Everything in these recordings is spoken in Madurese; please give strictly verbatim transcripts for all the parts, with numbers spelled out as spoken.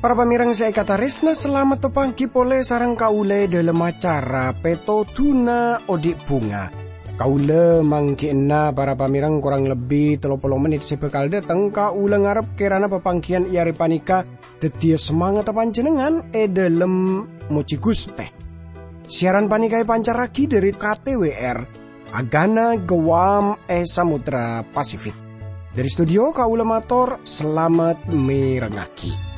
Para pamèrèng sè èkatarèsna, salamet papangghi polè sareng kaulâ è dhâlem acara Pètodhuna Odi' Bhunga. Kaulâ mangghi'na para pamèrèng korang lebbi tello polo mennit sè bhâkal dâteng. Kaulâ ngarep kèrana papangghiyân è arè panèka dhâddhiyâ samangatta panjhennengngan è dhâlem mojhi Ghustè. Siaran panèka èpancarraghi dhâri K T W R, Agana Guam è Samudra Pasifik. Dhâri studio, kaulâ mator salamet mèrengngaghi.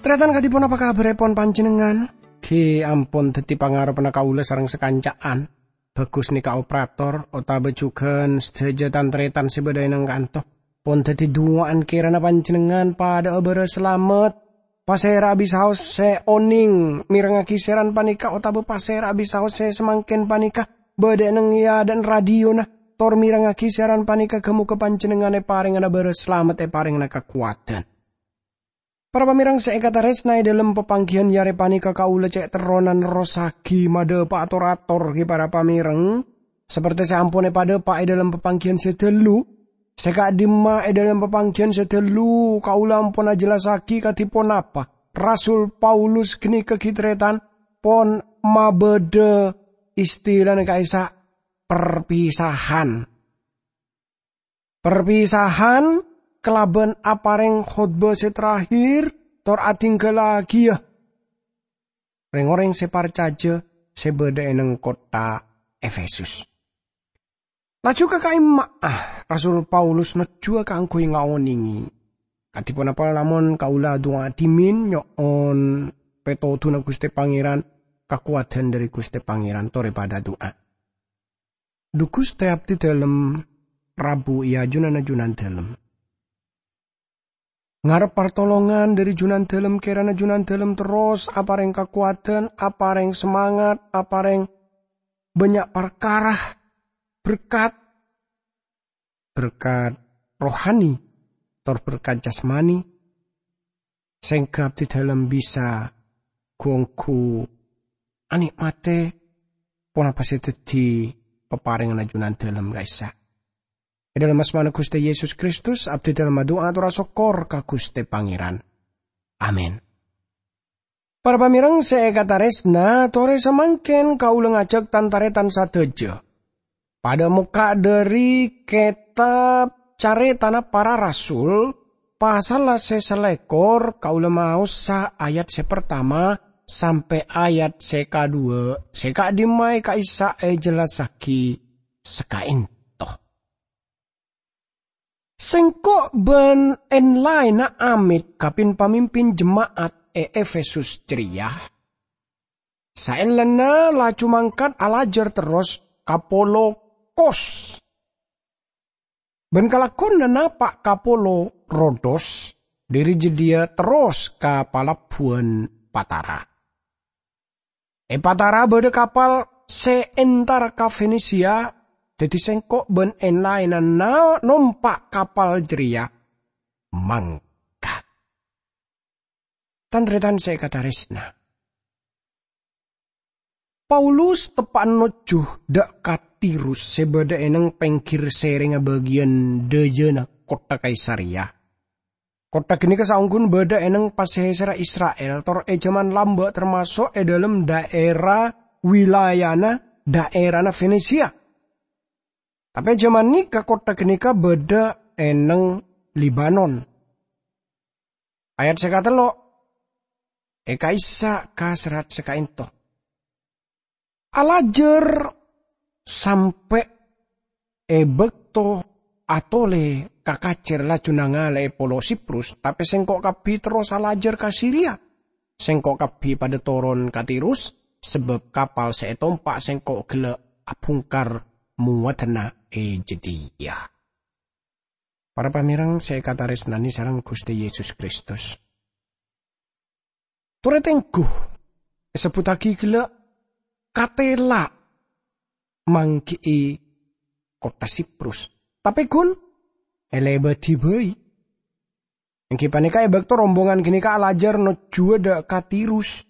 Tarètan, kadhi ponapa kabhârèpon panjhennengngan? Ghi' ampon dhâddhi pangarebbhâ kaulâ sareng sakanca'an. Bhâghus nèka operator otabâ jhughân sadhâjâ tan-tarètan sè bâdâ è nèng kanto. Pon dhâddhi duwâ'ân kèrana panjhennengngan padhâ'â bârâs salamet. Pasèra'a bisaos sè onèng mèrengngaghi siaran panèka otabâ pasèra'a bisaos sè samangkèn panèka bâdâ è nèng è adâ'na radiona, tor mèrengngaghi siaran panèka, ghâ-mogâ panjhennengngan èparèngana bârâs salamet, èparèngana kakowadhân. Para pamèrèng sè èkatarèsna, è dhâlem papangghiyân è arè panèka kaulâ cè' terrona nerrossaghi madhâpa'a tor-ator ghi, para pamèrèng, sapertè sè ampon èpadhâpa' è dhâlem papangghiyân sè dhâllu. Sè ka'dimma è dhâlem papangghiyân sè dhâllu kaulâ ampon ajhellassaghi kadhi ponapa Rasul Paulus ghânèka ghi tarètan pon mabâdâ istilana ka'issa' perpisahan. Perpisahan kalabân aparèng khotbah sè terakhir tor adhinggalaghiyâ rèng-orèng sè parcajâ sè bâdâ è nèng kottha Efesus. Laju ka ka'imma'a, Rasul Paulus nojjhuwâ kaangghuy ngaonèngè. Kadhi ponapa lamon kaulâ adu'a dhimèn nyo'on pètodhuna Ghustè Pangèran, kakowadhân dhâri Ghustè Pangèran, torè padhâ adu'a. Dhu Ghustè, abdhi dhâlem rabu è ajunanna Junandhâlem. Ngarep partolongan dhâri Junandhâlem, kèrana Junandhâlem terros aparèng kakowadhân, aparèng samangat, aparèng bânnya' parkara berkat, berkat rohani, tor berkat jasmani, sèngghâ abdhi dhâlem bisa ghu-ongghu anè'matè ponapa sè dhâddhi paparènganna Junandhâlem ka'issa'. È dhâlem asmana Ghustè Yesus Kristus, abdhi dhâlem adu'a ator asokkor ka Ghustè Pangèran. Amin. Para pamèrèng sè èkatarèsna, torè samangkèn kaulâ ngajhâk tan-tarètan sadhâjâ padhâ mokka' dhâri Kètab Carètana Para Rasul, pasalla sè salèkor, kaulâ maosa ayat sè partama sampè' ayat sè kadhuwâ', sè ka'dimma è ka'issa' èjellassaghi saka'ènto. Sèngko' bân en-laènna amèt ka pin-pamimpin jema'at è Efesus jârèya. Saellana laju mangkat alajâr terros ka polo Kos. Bân kalagghuwânna napa' ka polo Rodos, dhâri jâdiyâ terros ka palabbuwân Patara. È Patara bâdâ kapal sè entar ka Fenisia, dhâddhi sèngko' bân en-laènna na-, nompa' kapal jârèya mangkat. Tan-tarètan sè èkatarèsna, Paulus teppa'na nojjhu dâ' ka Tirus sè bâdâ è neng pèngghir sèrèngnga bâgiyân dâjâna kottha Kaisareya. Kottha ghânèka saongghuna bâdâ è neng pasèsèrra Isra'il, tor è jhâman lambâ' tamaso' è dhâlem dhaèra wilayana dhaèrana Fenisia. Tapè è jhâman nèka kottha ghânèka bâdâ è neng Libanon. Ayat sè katello', è ka'issa' ka serrat sè ka'ènto. Alajâr sampè' è bâkto atolè ka kacèr laju nangalè'è polo Siprus, tapè sèngko' kabbhi terros alajâr ka Siria. Sèngko' kabbhi padâ toron ka Tirus, sabâb kapal sè ètompa' sèngko' ghellâ' abhungkar mowaddhâna è jâdiyâ. Para pamèrèng sè èkatarèsnanè sareng Ghustè Yesus Kristus. Torè tèngghu èsebbhuttaghi ghellâ' katèla' mangghi'i kottha Siprus. Tapè ghun èlèbâdhi bhâi. Èngghi panèka è bâkto rombongan ghânèka alajhâr nojjhuwâ dâ' ka Tirus.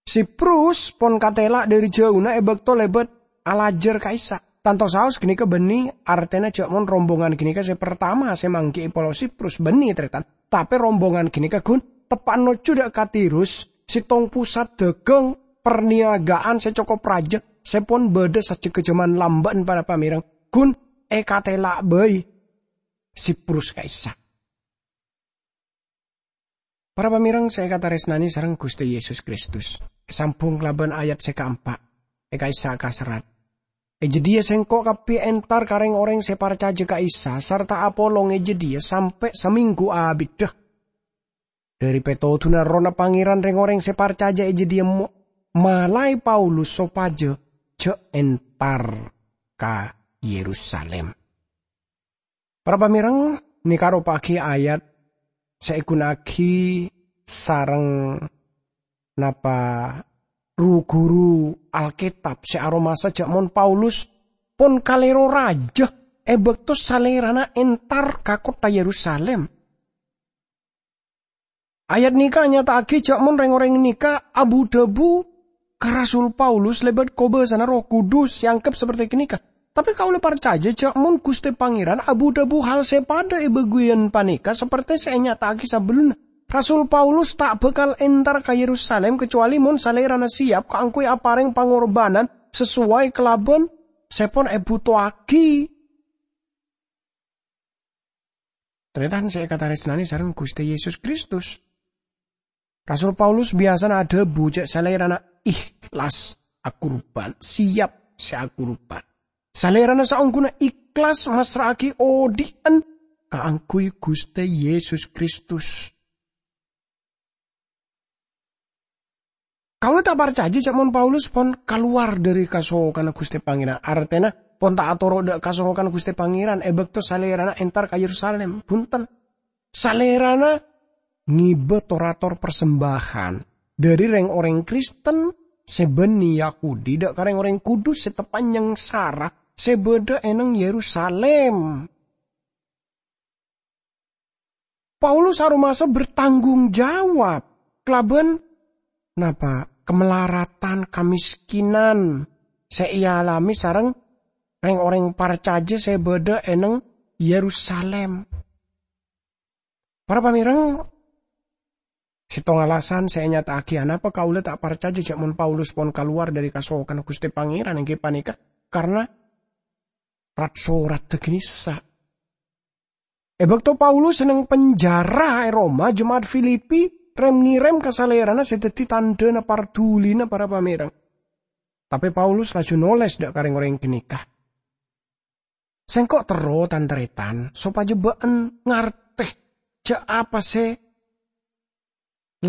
Siprus pon katèla' dhâri jhâuna è bâkto lèbât alajhâr ka'issa'. Tanto saos ghânèka bânnè artèna jhâ' mon rombongan ghânèka sè partama sè mangghi'i polo Siprus, bânnè, tarètan. Tapè rombongan ghânèka ghun teppa' nojjhu dâ' ka Tirus, sèttong pusat dhâghâng parniyaga'an sè cokop rajâ sè pon bâdâ sajjhegghâ jhâman lambâ'ân, para pamèrèng, ghun èkatèla' bhâi Siprus ka'issa'. Para pamèrèng sè èkatarèsnanè sareng Ghustè Yesus Kristus, èsambhung kalabân ayat sè kaempa', è ka'issa' kaserrat, "È jâdiyâ sèngko' kabbhi èntar ka rèng-orèng sè parcajâ ka Isa, sarta apolong è jâdiyâ sampè' samènggu abiddhâ. Dhâri pètodhuna Errohna Pangèran, rèng-orèng sè parcajâ è jâdiyâ mo-, malaè Paulus sopajâ jhâ' èntar ka Yerusalim." Para pamèrèng, nèka ropa'aghi ayat sè èghuna'aghi sareng napa ru-ghuru Alkètab sè aromasa jhâ' mon Paulus pon kalèro rajâ è bâkto salèrana èntar ka kottha Yerusalim. Ayat nèka nyata'aghi jhâ' mon rèng-orèng nèka abu-dhâbu ka Rasul Paulus lèbât kobâsana Erroh Kudus sè èangghep sapertè ghânèka. Tapè kaulâ parcajâ jhâ' mon Ghustè Pangèran abu-dhâbu hal sè padâ è bâgiyân panèka sapertè sè ènyata'aghi sabellunna. Rasul Paulus ta' bhâkal èntar ka Yerusalim kacowalè mon salèrana sèyap kaangghuy aparèng pangorbhânan sasoway kalabân sè pon èbhutoaghi. Tarètan sè èkatarèsnanè sareng Ghustè Yesus Kristus, Rasul Paulus biyasana adhâbu jhâ' salèrana ikhlas akurban, sèyap sè akurban. Salèrana saongghuna ikhlas massra'aghi odhi'en kaangghuy Ghustè Yesus Kristus. Kaulâ ta' parcajâ jhâ' mon Paulus pon kalowar dhâri kasokanna Ghustè Pangèran, artèna pon ta' atoro' dâ' kasokanna Ghustè Pangèran è bâkto salèrana èntar ka Yerusalim. Bhunten. Salèrana ngibâ tor-ator parsembâjân dhâri rèng-orèng Kristen sè bânnè Yahudi dâ' ka rèng-orèng Kudus sè teppa' nyangsara sè bâdâ è neng Yerusalim. Paulus aromasa bertanggung jawab kalabân napa? Kamelaratan, kamèskènan sè èalamè sareng rèng-orèng parcajâ sè bâdâ è neng Yerusalim. Para pamèrèng, sèttong alasan sè ènyata'aghi anapa kaulâ ta' parcajâ jhâ' mon Paulus pon kalowar dhâri kasokanna Ghustè Pangèran èngghi panèka karna rat-sorat ghânèka. È bâkto Paulus è neng penjara è Roma, jema'at Filipi rem-ngèrèm ka salèrana sè dhâddhi tandhâna pardhulina para pamèrèng. Tapè Paulus laju nolès dâ' ka rèng-orèng ghânèka, "Sèngko' terro, tan-tarètan, sopajâ bâ'en ngartè jhâ' apa sè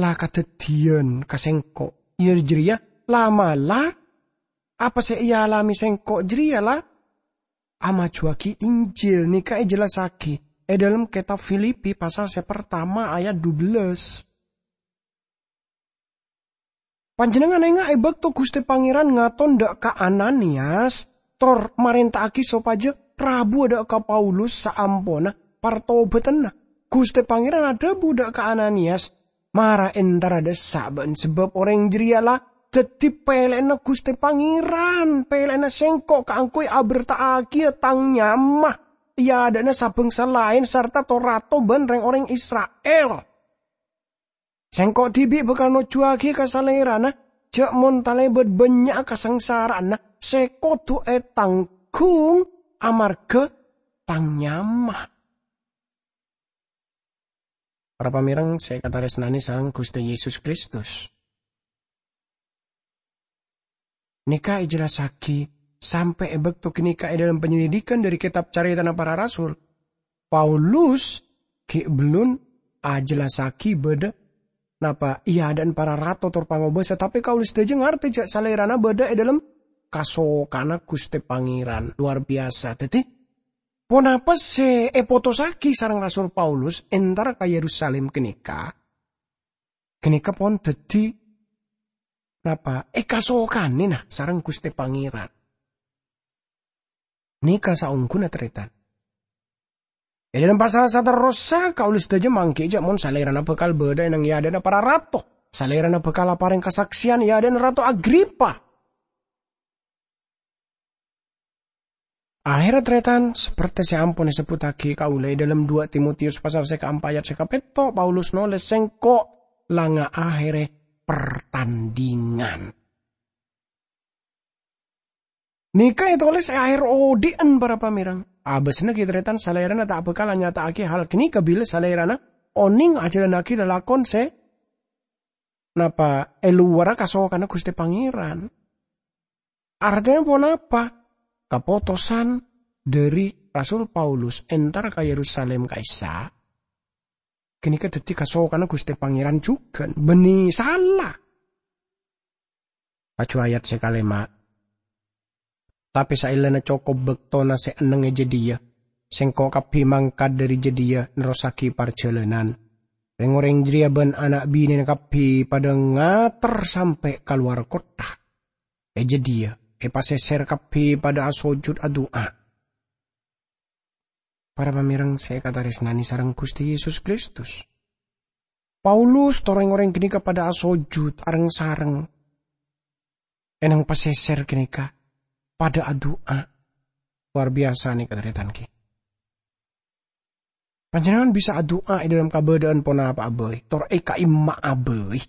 la kadhâddhiyân ka sèngko'. Iyâ jârèya, la'-mala' apa sè èalamè sèngko' jârèya la amajhuwâghi Injil." Nèka èjellassaghi è dhâlem kètab Filipi pasal sè partama ayat dubellâs. Panjhennengngan enga' è bâkto Ghustè Pangèran ngaton dâ' ka Ananiyas, tor marènta'aghi sopajâ rabuwâ dâ' ka Paulus saamponna partobhâdhânna. Ghustè Pangèran adhâbu dâ' ka Ananiyas, "Mara entara dâ' essa' bâ'en, sabâb orèng jârèya la dhâddhi pèlè'anna Ghustè Pangèran, pèlè'anna sèngko' kaangghuy aberta'aghiyâ tang nyama è adâ'na sa-bângsa laèn sarta to-rato bân rèng-orèng Isra'il. Sèngko' dhibi' bhâkal nojjuwâghi ka Salèrana, jhâ' mon talèbât bânnya'a kasangsara'anna sè kodhu ètangghung amarghâ tang nyama." Para pamèrèng sè èkatarèsnanè sareng Ghustè Yesus Kristus, nèka èjellassaghi sampè' è bâkto ghânèka è dhâlem panyelidikan dhâri kètab Carètana Para Rasul. Paulus ghi' bellun ajellassaghi bâdâ napa è adâ'na para rato tor pangobâsa, tapè kaulâ sadhâjâ ngartè jhâ' Salèrana bâdâ è dhâlem kasokanna Ghustè Pangèran lowar biyasa. Dhâddhi, ponapa sè èpotossaghi sareng Rasul Paulus entar ka Yerusalim ghânèka? Ghânèka pon dhâddhi napa? Èkasokanè, nah, sareng Ghustè Pangèran. Nèka saongghuna, tarètan. È dâlem pasal saterrossa, kaulâ sadhâjâ mangghi jhâ' mon Salèrana bhâkal bâdâ è neng è adâ'na para rato. Salèrana bhâkal aparèng kasaksèyan è adâ'na Rato Agripa. Ahèrra, tarètan, sapertè sè ampon èsebbhuttaghi kaulâ è dâlem dua Timotius pasal sè kaempa' ayat sè kapètto', Paulus nolès, "Sèngko' la ngahèrè partandhingan." Nèka ètolès è ahèr odi'ân, para pamèreng. Abâsna ghi', tarètan, Salèrana ta' bhâkal anyata'aghi hal ghânèka bilâ Salèrana onèng ajhâlannaghi lalakon sè napa è lowarra kasokanna Ghustè Pangèran. Artèna ponapa? Kapotosan dhâri Rasul Paulus entar ka Yerusalem ka'issa', ghânèka dhâddhi kasokanna Ghustè Pangèran jhughân, bânnè sala. Laju ayat sè kalèma', "Tapè saellana cokop bâktona sè enneng è jâdiyâ, sèngko' kabbhi mangkat dhâri jâdiyâ nerrossaghi parjhâlânan. Rèng-orèng jârèya bân ana' binèna kabbhi padâ ngater sampè' ka lowar kottha. È jâdiyâ, è pasèsèr kabbhi padâ asojud adu'a." Para pamèreng sè èkatarèsnanè sareng Ghustè Yesus Kristus, Paulus tor rèng-orèng ghânèka padâ asojud areng-sareng è neng pasèsèr ghânèka, padâ adu'a. Lowar biyasa nèka, tarètan, ghi. Panjhennengngan bisa adu'a è dâlem kabâdâ'ân ponapa'a bhâi, tor è ka'imma'a bhâi.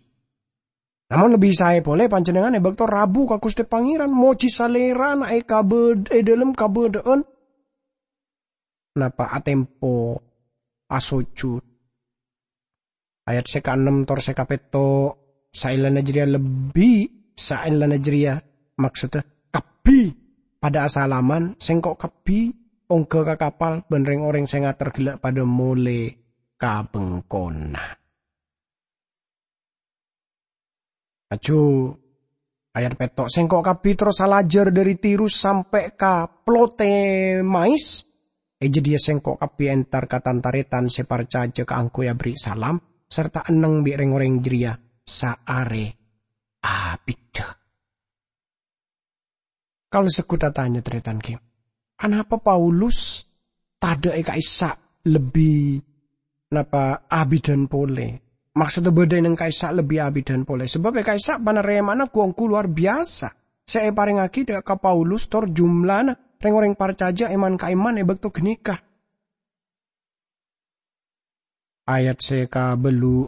Namong lebbi saè polè panjhennengngan è bâkto rabu ka Ghustè Pangèran, mojhi Salèrana è kabâd-, è dâlem kabâdâ'ân napa atempo asojud. Ayat sè kaennem tor sè kapètto', saellana jârèya lebbi, saellana jârèya, maksodda, kabbhi padâ asalaman, sèngko' kabbhi ongghâ ka kapal bân rèng-orèng sè ngater ghellâ' padâ molè ka bengkona. Laju, ayat pètto', "Sèngko' kabbhi terros alajâr dhâri Tirus sampè' ka Ptolemais. È jâdiyâ sèngko' kabbhi entar ka tan-tarètan sè parcajâ kaangghuy aberri' salam, sarta enneng bi' rèng-orèng jârèya saarè abiddhâ." Kaulâ segghut atanya, tarètan, ghi, anapa Paulus tadâ' è ka'issa' lebbi napa abiddhân polè? Maksodda bâdâ è neng ka'issa' lebbi abiddhân polè, sabâb è ka'issa' panarèma'anna ghu-ongghu lowar biyasa sè èparèngaghi dâ' ka Paulus tor jumlana rèng-orèng parcajâ èman-ka'imman è bâkto ghânèka. Ayat sè kabâllu',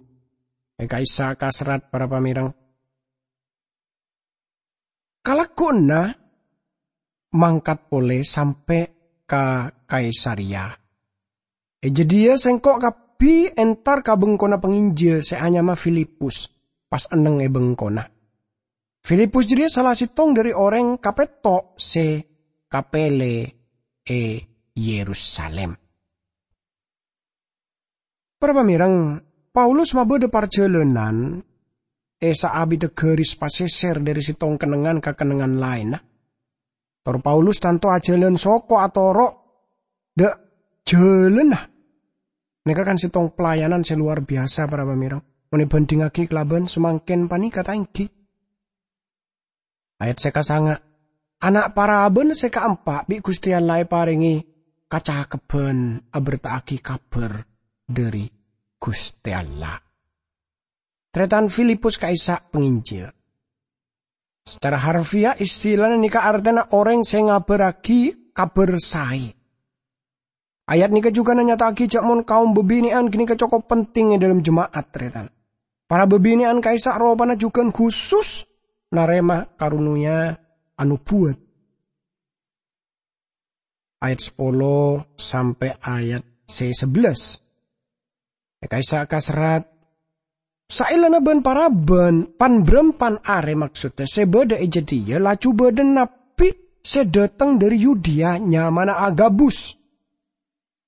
è ka'issa' kaserrat para pamèreng. Kalagghuna mangkat polè sampè' ka Kaisareya. È jâdiyâ sèngko' kabbhi entar ka bengkona panginjil sè anyama Filipus, pas enneng è bengkona. Filipus jârèya sala sèttong dhâri orèng kapètto' sè kapèlè è Yerusalim. Para pamèreng, Paulus mabâdâ parjhâlânan è saabiddhâ ghâris pasèsèr dhâri sèttong kennengngan ka kennengngan laènna. Tor Paulus tanto ajhâlân soko atoro' dâ' jhâlânna. Nèka kan sèttong pelayanan sè lowar biyasa, para pamèreng, mon èbhândhingaghi kalabân samangkèn panèka, ta' ènggi? Ayat sè kasanga', "Ana' parabân sè kaempa' bi' Ghustè Allah èparèngè kacakebbhân aberta'aghi kabhâr dhâri Ghustè Allah." Tarètan Filipus ka'issa' panginjil. Sacara harfiah, istilana nèka artèna orèng sè ngabârraghi kabhâr saè. Ayat nèka jhughân nyata'aghi jhâ' mon kaum bhâbhinè'an ghânèka cokop penting è dâlem jema'at, tarètan. Para bhâbhinè'an ka'issa' ropana jhughân khusus narèma karonoya anobuwât. Ayat sapolo sampè' ayat sè sabellâs. È ka'issa' kaserrat, "Saellana bân-parabân, pan-bârâmpan arè, maksodda, sè bâdâ è jâdiyâ, laju bâdâ nabbhi sè dâteng dhâri Yudea, nyamana Agabus.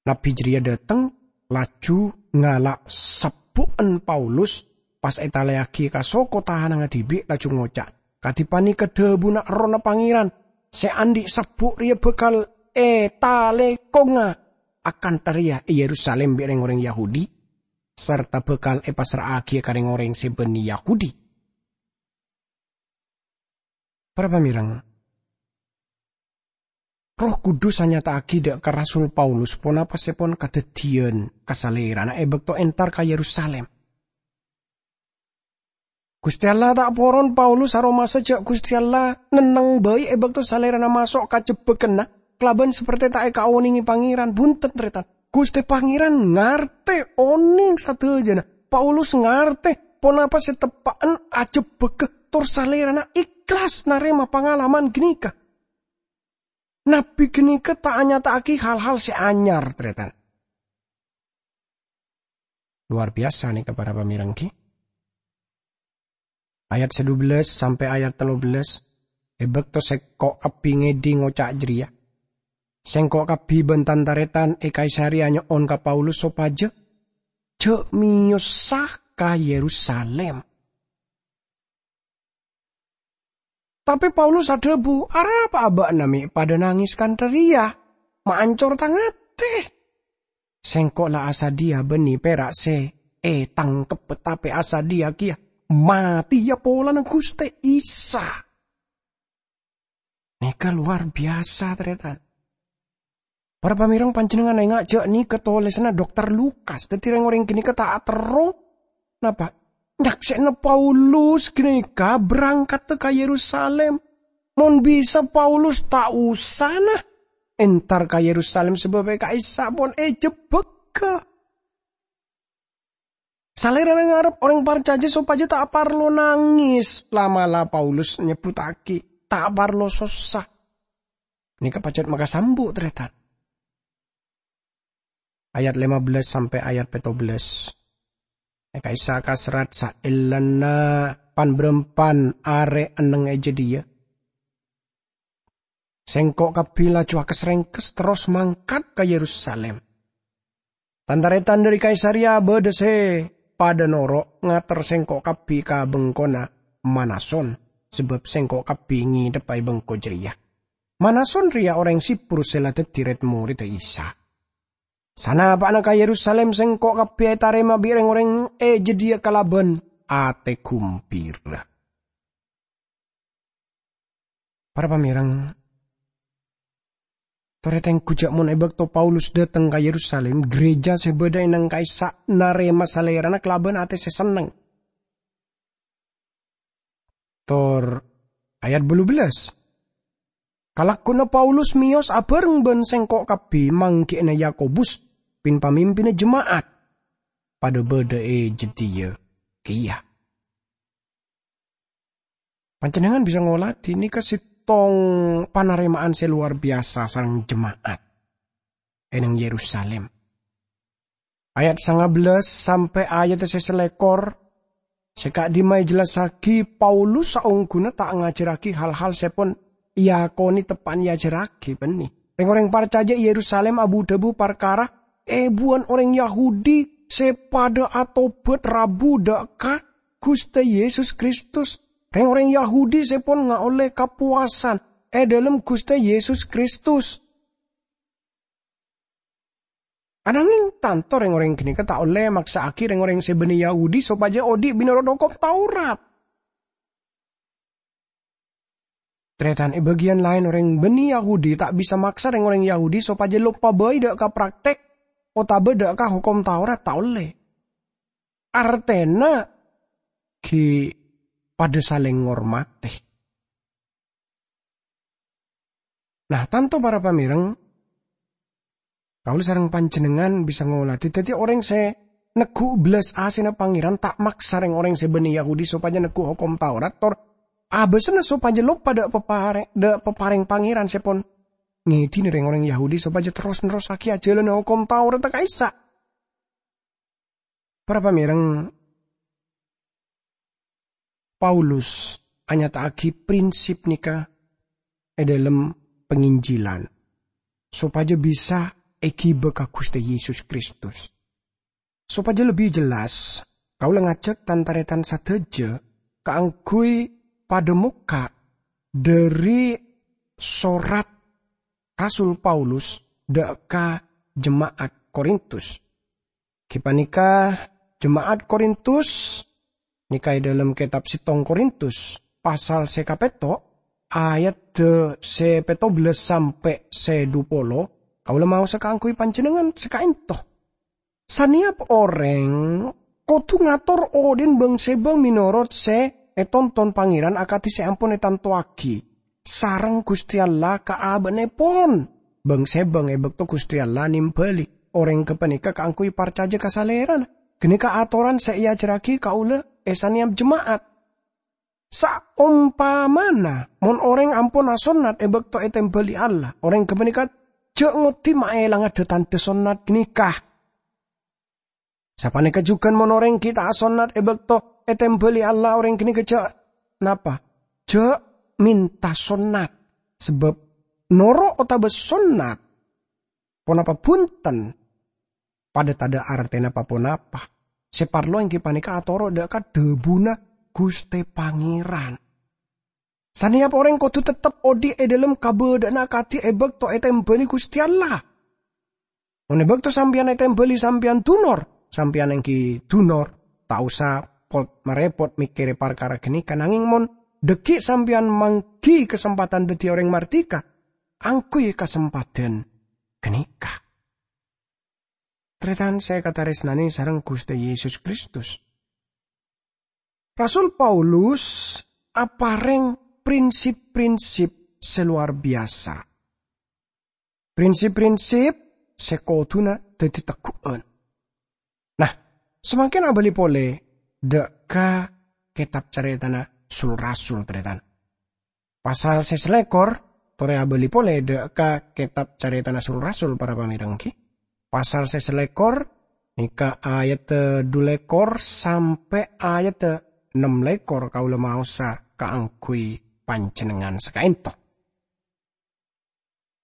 Nabbhi jârèya dâteng, laju ngala' sabbu'en Paulus, pas ètalèyaghi ka soko tahanangnga dhibi', laju ngoca', 'Kadhi panèka dhâbuna Errohna Pangèran, sè andi' sabbu' rèya bhâkal ètalèkongnga akantha rèya è Yerusalim bi' rèng-orèng Yahudi.' sarta bhâkal èpassra'aghiyâ ka rèng-orèng sè bânnè Yahudi. Para pamèreng, Erroh Kudus anyata'aghi dâ' ka Rasul Paulus ponapa sè pon kadhâddhiyân ka salèrana è bâkto entar ka Yerusalim. Ghustè Allah ta' poron Paulus aromasa jâ' Ghustè Allah nenneng bhâi è bâkto salèrana maso' ka jebbhâgghânna kalabân saperte ta' èkaonèngè Pangèran. Bhunten, tarètan. Ghustè Pangèran ngartè, onèng sadhâjâna. Paulus ngartè ponapa sè teppa'en ajebbhâghâ, tor salèrana èhlas narèma pangalaman ghânèka. Nabbhi ghânèka ta' anyata'aghi hal-hal sè anyar, tarètan. Lowar biyasa nèka, para pamèreng, ghi. Ayat sè dubellâs sampè' ayat tellubellâs, è bâkto sèngko' kabbhi ngèdhing oca' jârèya, sèngko' kabbhi bân tan-tarètan è Kaisareya nyo'on ka Paulus sopajâ jâ' mèyosa ka Yerusalim. Tapè Paulus adhâbu, "Arapa abâ'na mè' padâ nangès kantha rèya? Ma' ancor tang atè! Sèngko' la asadhiyâ bânnè pèra' sè ètangkebbhâ, tapè asadhiyâ kèya matèya polana Ghustè Isa." Nèka lowar biyasa, tarètan. Para pamèreng, panjhennengngan enga' jâ' nèka tolèsanna Dokter Lukas, dhâddhi rèng-orèng ghânèka ta' terro. Napa? Nyaksè'ana Paulus ghânèka aberrangkaddhâ ka Yerusalim. Mon bisa, Paulus ta' usana entar ka Yerusalim, sabâb è ka'issa' pon èjebbhâghâ. Salèrana ngarep orèng parcajâ sopajâ ta' parlo nangès. La'-mala' Paulus nyebbhuttaghi, "Ta' parlo sossa." Nèka pajhât makasambu', tarètan. Ayat lèma bellâs sampè' ayat pètto bellâs. È ka'issa' kaserrat saellana pan-bârâmpan arè enneng è jâdiyâ. Sèngko' kabbhi laju akes-rèngkes terros mangkat ka Yerusalim. Tan-tarètan dhâri Kaisareya bâdâ sè padâ noro' ngater sèngko' kabbhi ka bengkona Manason, sabâb sèngko' kabbhi ngèdhebbhâ è bengko jârèya. Manason rèya orèng Siprus sè la dhâddhi rèd-morèdda Isa. Sanapa'na ka Yerusalim, sèngko' kabbhi ètarèma bi' rèng-orèng è jâdiyâ kalabân atè ghumbira. Para pamèreng, torè tengghu jâ' mon è bâkto Paulus dâteng ka Yerusalim, ghârèjâ sè bâdâ è nang ka'issa' narèma salèrana kalabân atè sè senneng. Tor ayat bâllu bellâs, "Kalagghuwânna Paulus mèyos abhâreng bân sèngko' kabbhi, mangghi'na Yakobus, pin-pamimpinna jema'at, padâ bâdâ è jâdiyâ kèya." Panjhennengngan bisa ngolatè nèka sèttong panarèma'an sè lowar biyasa sareng jema'at è nang Yerusalim. Ayat sanga bellâs sampè' ayat sè salèkor, sè ka'dimma èjellassaghi Paulus saongghuna ta' ngajhârraghi hal-hal sè pon èakonè teppa'na èajhârraghi bânnè. Rèng-orèng parcajâ è Yerusalim abu-dhâbu parkara èbuwân orèng Yahudi sè padâ atobhât rabu dâ' ka Ghustè Yesus Kristus. Rèng-orèng Yahudi sè pon ngaollè kapowasan è dhâlem Ghustè Yesus Kristus. Ananging, tanto rèng-orèng ghânèka ta' ollè maksa'aghi rèng-orèng sè bânnè Yahudi sopajâ odi' mènorot Hokom Taurat. Tarètan, è bâgiyân laèn orèng bânnè Yahudi ta' bisa maksa rèng-orèng Yahudi sopajâ loppa bhâi dâ' ka praktek otabâ dâ' ka Hokom Taurat, ta' ollè. Artèna ghi' padâ salèng ngormatè. Nah, tanto para pamèrèng, kaulâ sareng panjhennengngan bisa ngolatè dhâddhi orèng sè neggu' bellas asèna Pangèran, ta' maksa rèng-orèng sè bânnè Yahudi sopajâ neggu' Hokom Taurat, tor abâsana sopajâ loppa dâ' paparè-, dâ' paparèng Pangèran sè pon ngèdhinè rèng-orèng Yahudi sopajâ terros-nerrossaghi ajhâlâna Hokom Taurat ka'issa'. Para pamèrèng, Paulus anyata'aghi prinsip nèka è dhâlem panginjilan, sopajâ bisa èghibâ ka Ghustè Yesus Kristus. Sopajâ lebbi jelas, kaulâ ngajhâk tan-tarètan sadhâjâ kaangghuy padâ mokka' dhâri sorat Rasul Paulus dâ' ka jema'at Korintus. Ghi' panèka jema'at Korintus, nèka è dâlem kètab settong Korintus, pasal sè kapètto', ayat sè pètto bellâs sampè' sè dhu polo, kaulâ maosa kaangghuy panjhennengngan sè ka'ènto. Sanèyap orèng kodhu ngator odi'na bâng-sèbâng mènorot sè ètonton Pangèran akadhi sè ampon ètantowaghi sareng Ghustè Allah ka abâ'naèpon bâng-sèbâng è bâkto Ghustè Allah nèmbâli orèng ghâpanèka kaangghuy parcajâ ka Salèrana. Ghânèka atoran sè èajhârraghi kaulâ è sanèyap jema'at. Saompamana mon orèng ampon asonnat è bâkto ètèmbâli Allah, orèng ghâpanèka jhâ' ngoddi maèlanga dâ-tandhâ sonnat ghânèka. Sapanèka jhughân mon orèng ghi' ta' asonnat è bâkto ètèmbâli Allah, orèng ghânèka jhâ' napa? Jhâ' mènta sonnat. Sabâb noro' otabâ sonnat ponapa bhunten, padâ tadâ' artèna pa-ponapa. Sè parlo èngghi panèka atoro' dâ' ka dhâbuna Ghustè Pangèran. Sanèyap orèng kodhu teptep odi' è dâlem kabâdâ'ânna akadhi è bâkto ètèmbâli Ghustè Allah. Mon è bâkto sampèyan ètèmbâli sampèyan dunor, sampèyan èngghi dunor, ta' osa pot-, marèpot mèkkèrè parkara ghânèka, nangèng mon dhâggi' sampèyan mangghi kasempadhân dhâddhi orèng mardhika, angghuy kasempadhân ghânèka. Tarètan sè èkatarèsnanè sareng Ghustè Yesus Kristus. Rasul Paulus aparèng prinsip-prinsip sè lowar biyasa. Prinsip-prinsip sè kodhuna dhâddhi tegghu'ân. Nah, samangkèn abâli polè dâ' ka kètab carètana Sul-Rasul, tarètan. Pasal sè salèkor, torè abâli polè dâ' ka kètab carètana Sul-Rasul, para pamèreng, ghi. Pasal sè salèkor, nèka ayat dhu lèkor sampè' ayat nem lèkor, kaulâ maosa kaangghuy panjhennengngan sè ka'ènto.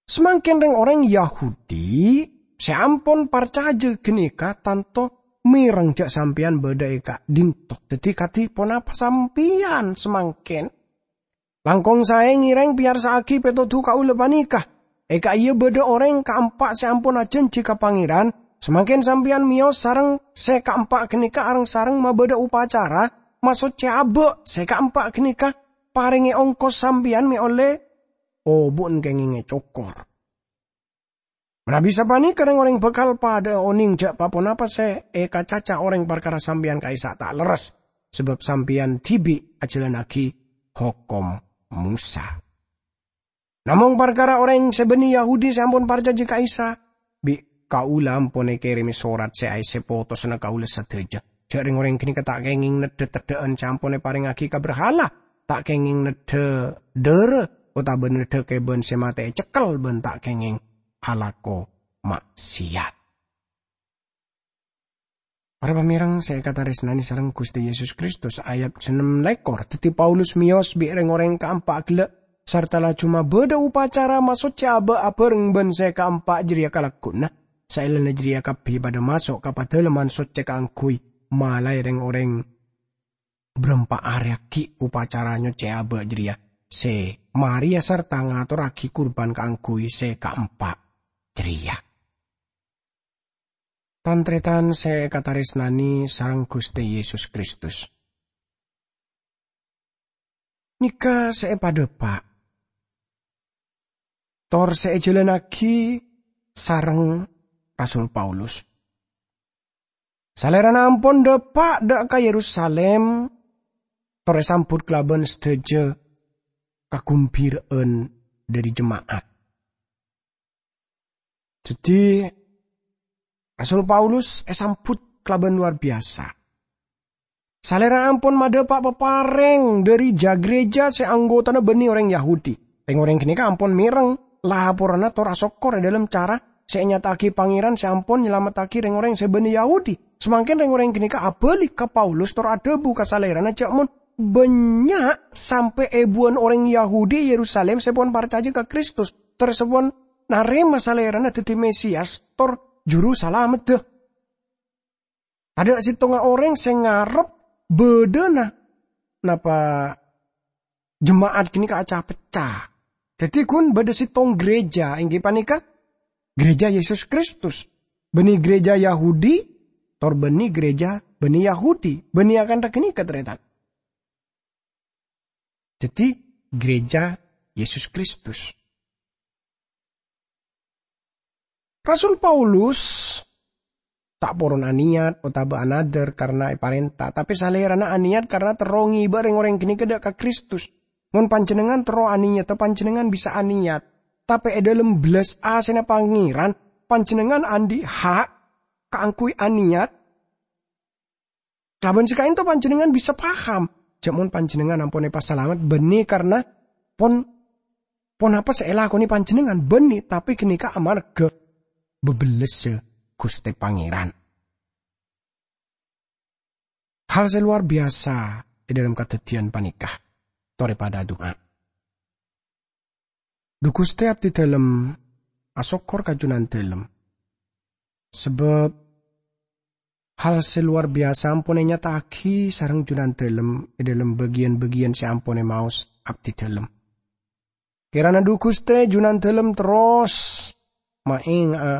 Samangkèn rèng-orèng Yahudi sè ampon parcajâ ghânèka tanto mèreng jhâ' sampèyan bâdâ è ka'dinto. Dhâddhi, kadhi ponapa sampèyan samangkèn? Langkong saè ngèrèng peyarsa'aghi pètodhu kaulâ panèka. È ka'iyâ bâdâ orèng kaempa' sè ampon ajhânjhi ka Pangèran, samangkèn sampèyan mèyos sareng sè kaempa' ghânèka areng-sareng mabâdâ upacara masoccè abâ'. Sè kaempa' ghânèka parèngè ongkos sampèyan mè' ollè obu'en kèngèngè cokor. Manabi sapanèka rèng-orèng bhâkal padâ'â onèng jhâ' pa-ponapa sè èkacaca orèng parkara sampèyan ka'issa' ta' lerres, sabâb sampèyan dhibi' ajhâlannaghi hokom Mosa. Namong parkara orèng sè bânnè Yahudi sè ampon parcajâ ka Isa, bi' kaulâ ampon èkèrèmè sorat sè aèssè potosanna kaulâ sadhâjâ. Jhâ' rèng-orèng ghânèka ta' kèngèng neddhâ teddhâ'ân sè ampon èparèngaghi ka berhala, ta' kèngèng neddhâ dârâ, otabâ neddhâ kèbân sè matè ècekkel bân ta' kèngèng alako ma'siyat. Para pamèreng sè èkatarèsnanè sareng Ghustè Yesus Kristus, ayat sanem lèkor, dhâddhi Paulus mèyos bi' rèng-orèng kaempa' ghellâ', sarta laju mabâdâ upacara masoccè abâ' abhâreng bân sè kaempa' jârèya kalagghuwânna. Saellana jârèya kabbhi padâ maso' ka Padâlemman Soccè kaangghuy malaè rèng-orèng bârâmpa arè aghi' upacara nyoccè abâ' jârèya sè marèya sarta ngatorraghi kurban kaangghuy sè kaempa' jârèya. Tan-tarètan sè èkatarèsnanè sareng Ghustè Yesus Kristus. Nèka sè èpadhâpa', tor sè èjhâlânnaghi sareng Rasul Paulus. Salèrana ampon dâpa' dâ' ka Yerusalim, tor èsambhut kalabân sadhâjâ kagumbhira'an dhâri jema'at. Dhâddhi, Rasul Paulus èsambhut kalabân lowar biyasa. Salèrana ampon madhâpa' paparèng dhâri ja-, gereja sè anggotana bânnè orèng Yahudi. Rèng-orèng ghânèka ampon mèreng laporanna tor asokkor è dhâlem cara sè ènyata'aghi Pangèran sè ampon nyalamettaghi rèng-orèng sè bânnè Yahudi. Samangkèn rèng-orèng ghânèka abâli ka Paulus tor adhâbu ka salèrana jhâ' mon bânnya' sampè' èbuwân orèng Yahudi è Yerusalim sè pon parcajâ ka Kristus, tor sè pon narèma salèrana dhâddhi Mesias tor Juru Salamedda. Tadâ' sèttonga orèng sè ngarep bâdâna napa jema'at ghânèka aca-pecca. Dhâddhi ghun bâdâ sèttong gereja, èngghi panèka Gereja Yesus Kristus. Bânnè gereja Yahudi, tor bânnè gereja bânnè Yahudi, bânnè akantha ghânèka, tarètan. Dhâddhi, gereja Yesus Kristus. Rasul Paulus ta' poron anèyat otabâ anadhâr karna èparènta, tapè salèrana anèyat karna terro ngibâ rèng-orèng ghânèka dâ' ka Kristus. Mon panjhennengngan terro anèyatta, panjhennengngan bisa anèyat. Tapè è dhâlem bellas asèna Pangèran, panjhennengngan andi' ha' kaangghuy anèyat Kalabân sè ka'ènto panjhennengngan bisa paham, jhâ' mon panjhennengngan ampon èpasalamet bânnè karna pon-, ponapa sè èlakonè panjhennengngan bânnè, tapè ghânèka amarghâ bâbellessa Ghustè Pangèran. Hal sè lowar biyasa è dhâlem kadhâddhiyân panèka. Torè padâ adu'a. Dhu Ghustè, abdhi dhâlem asokkor ka Jhunandhâlem, sabâb hal sè lowar biyasa ampon ènyata'aghi sareng Jhunandhâlem è dhâlem bâgiyân-bâgiyân sè ampon èmaos abdhi dhâlem. Kèrana dhu Ghustè Jhunandhâlem terros maènga'a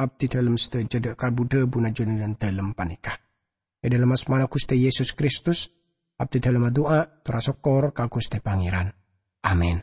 abdhi dhâlem sadhâjâ dâ' ka bu-dhâbuna Jhunandhâlem panèka. È dhâlem asmana Ghustè Yesus Kristus, abdhi dhâlem adu'a, tor asokkor ka Ghustè Pangèran. Amin.